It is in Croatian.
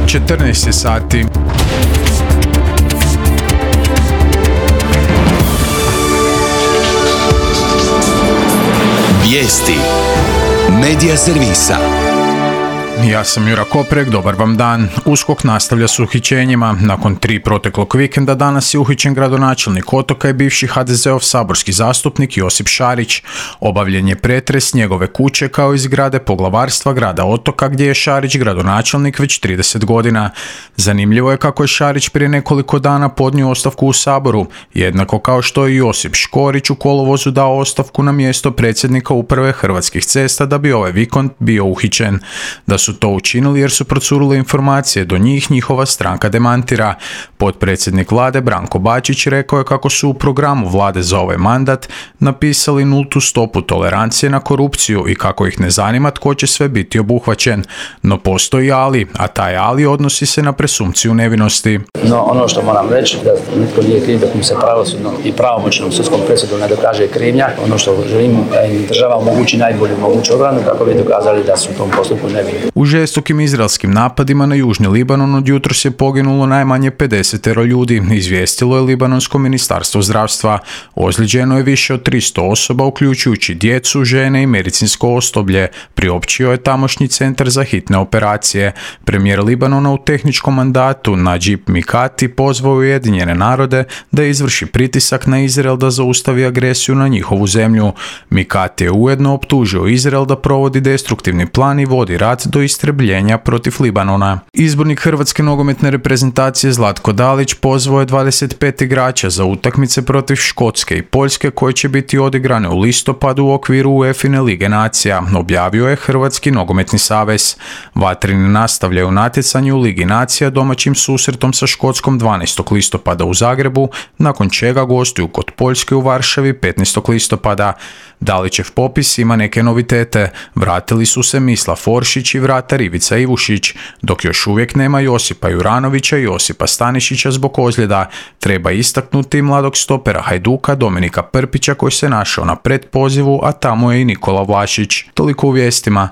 14 sati. Vijesti Medija servisa. Ja sam Jura Koprek, dobar vam dan. USKOK nastavlja s uhićenjima. Nakon 3 proteklog vikenda danas je uhićen gradonačelnik Otoka i bivši HDZ-ov saborski zastupnik Josip Šarić. Obavljen je pretres njegove kuće kao i zgrade poglavarstva grada Otoka gdje je Šarić gradonačelnik već 30 godina. Zanimljivo je kako je Šarić prije nekoliko dana podnio ostavku u Saboru, jednako kao što je Josip Škorić u kolovozu dao ostavku na mjesto predsjednika uprave Hrvatskih cesta da bi ovaj vikend bio uhićen. Da su to učinili jer su procurile informacije, do njih njihova stranka demantira. Potpredsjednik vlade Branko Bačić rekao je kako su u programu vlade za ovaj mandat napisali nultu stopu tolerancije na korupciju i kako ih ne zanima tko će sve biti obuhvaćen. No postoji ali, a taj ali odnosi se na presumpciju nevinosti. No ono što moram reći da nitko nije kriv dok mu se pravosudnom i pravomoćnom sudskom presudom ne dokaže krivnja. Ono što želim da im država omogući najbolju moguću obranu kako bi dokazali da su u tom postupku nevini. U žestokim izraelskim napadima na južni Libanon od jutros je poginulo najmanje 50 ljudi, izvijestilo je Libanonsko ministarstvo zdravstva. Ozlijeđeno je više od 300 osoba, uključujući djecu, žene i medicinsko osoblje, priopćio je tamošnji centar za hitne operacije. Premijer Libanona u tehničkom mandatu Najib Mikati pozvao Ujedinjene narode da izvrši pritisak na Izrael da zaustavi agresiju na njihovu zemlju. Mikati je ujedno optužio Izrael da provodi destruktivni plan i vodi rat do istrebljenja protiv Libanona. Izbornik Hrvatske nogometne reprezentacije Zlatko Dalić pozvao je 25 igrača za utakmice protiv Škotske i Poljske koje će biti odigrane u listopadu u okviru UEFA Lige nacija, objavio je Hrvatski nogometni savez. Vatrini nastavljaju natjecanje u Ligi nacija domaćim susretom sa Škotskom 12. listopada u Zagrebu, nakon čega gostuju kod Poljske u Varšavi 15. listopada. Dalićev popis ima neke novitete. Vratili su se Mislav Foršić i vratar Ivica Ivušić, dok još uvijek nema Josipa Juranovića i Josipa Stanišića zbog ozljeda. Treba istaknuti mladog stopera Hajduka Dominika Prpića koji se našao na predpozivu, a tamo je i Nikola Vlašić. Toliko u vijestima.